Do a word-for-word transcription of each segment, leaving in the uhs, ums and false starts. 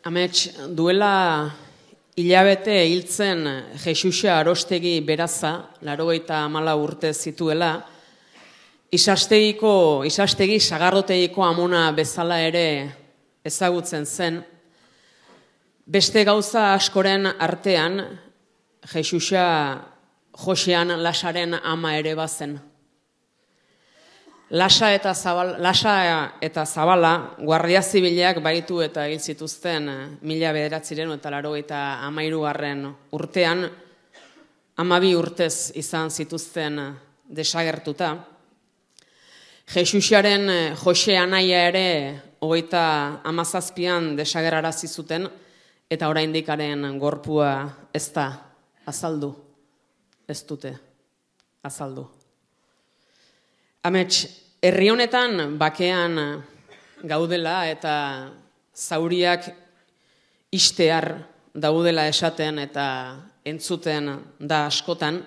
Amets, duela hilabete hiltzen Jesusa Arostegi Beraza, laurogeita hamalau urte zituela, isastegiko, isastegi sagardotegiko amona bezala ere ezagutzen zen. Beste gauza askoren artean, Jesusa Josean Lasaren ama ere bazen. Lasa eta, zabal, Lasa eta Zabala guardia zibilak baritu eta hil zituzten mila bederatziren eta laurogeita hamairugarren urtean, hamabi urtez izan zituzten desagertuta. Jesusaren Jose anaia ere hogeita hamazazpian desagerrarazi zuten eta oraindikaren gorpua ez da azaldu, ez dute azaldu. Amets, herri honetan bakean gaudela eta zauriak istear daudela esaten eta entzuten da askotan,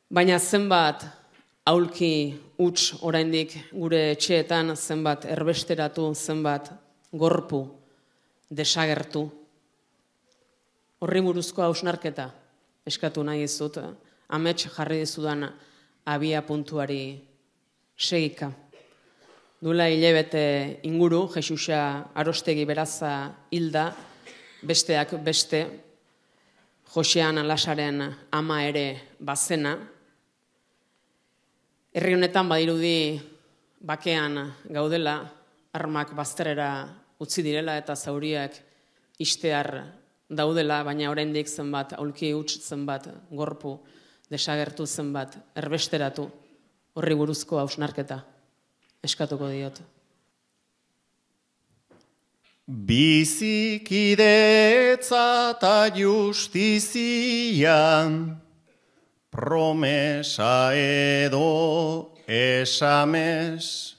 baina zenbat aulki huts oraindik gure etxeetan, zenbat erbesteratu, zenbat gorpu desagertu. Horri buruzko hausnarketa eskatu nahi dizut, amets jarri dizudan abia puntuari segika. Duela hilabete inguru, Jesusa Arostegi Beraza hilda, besteak beste, Josean Lasaren ama ere bazena. Herri honetan badirudi bakean gaudela, armak bazterrera utzi direla eta zauriak istear daudela, baina oraindik zenbat aulki huts, zenbat gorpu desagertu, zenbat erbesteratu. Horri buruzko hausnarketa eskatuko diot. Bizikidetza eta justizia, promesa edo esamez,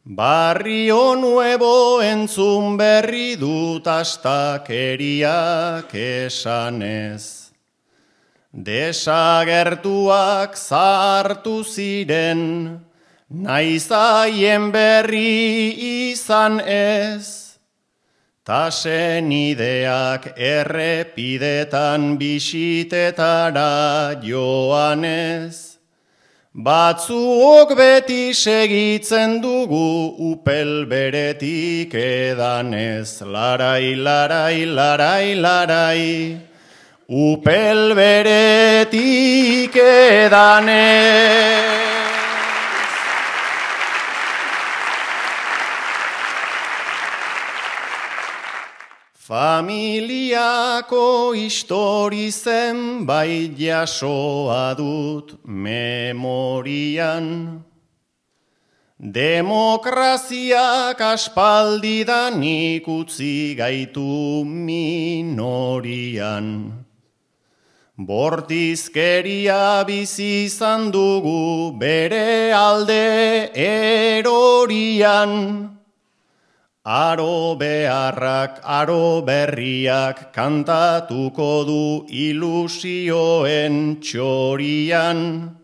barrio nuevo entzun berri dut astakeriak esanez. Desagertuak zartu ziren, naiz haien berri izan ez, ta senideak errepidetan bisitetara joanez. Batzuok beti segitzen dugu upel beretik edanez, larai, larai, larai, larai. Upel beretik edanez. Familiako histori zenbait jasoa dut memorian. Demokraziak aspaldidanik utzi gaitu minorian. Bortizkeria bizi izan dugu bere alde erorian. Aro beharrak, aro berriak kantatuko du ilusioen txorian.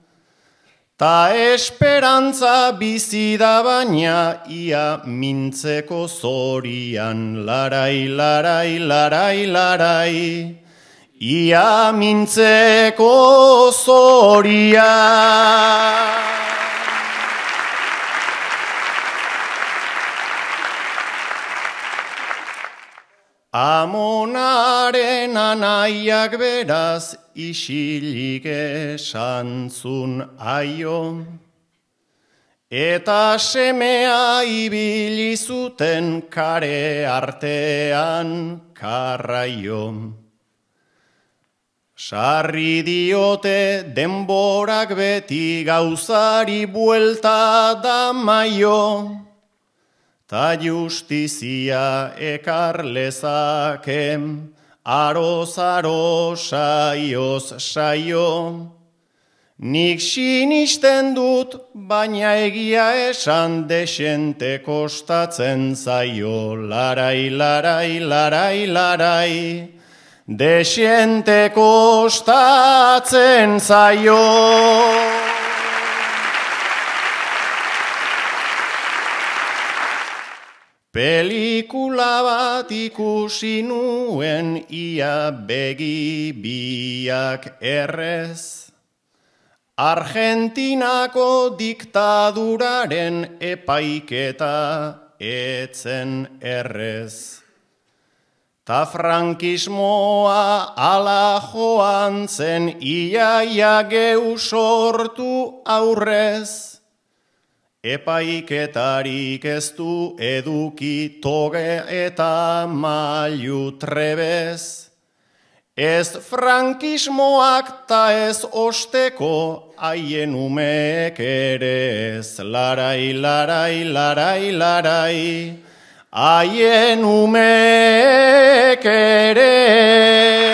Ta esperantza bizi da baina ia mintzeko zorian. Larai, larai, larai, larai. Ia mintzeko zoria. Amonaren anaiak beraz isilik esantzun aio, eta semea ibili zuten kare artean karraio. Sarri diote denborak beti gauzari buelta da maio, ta justizia ekar lezake, aroz aro saioz saio. Nik sinisten dut, baina egia esan desente kostatzen zaio, larai, larai, larai, larai. Desente kostatzen zaio. Pelikula bat ikusi nuen ia begi biak errez. Argentinako diktaduraren epaiketa etzen errez. Ta frankismoa ala joan zen iaia geu sortu aurrez. Epaiketarik ez du eduki toge eta mailu trebez. Ez frankismoak ta ez osteko haien umeek ere ez. Larai, larai, larai, larai, haien umeek ere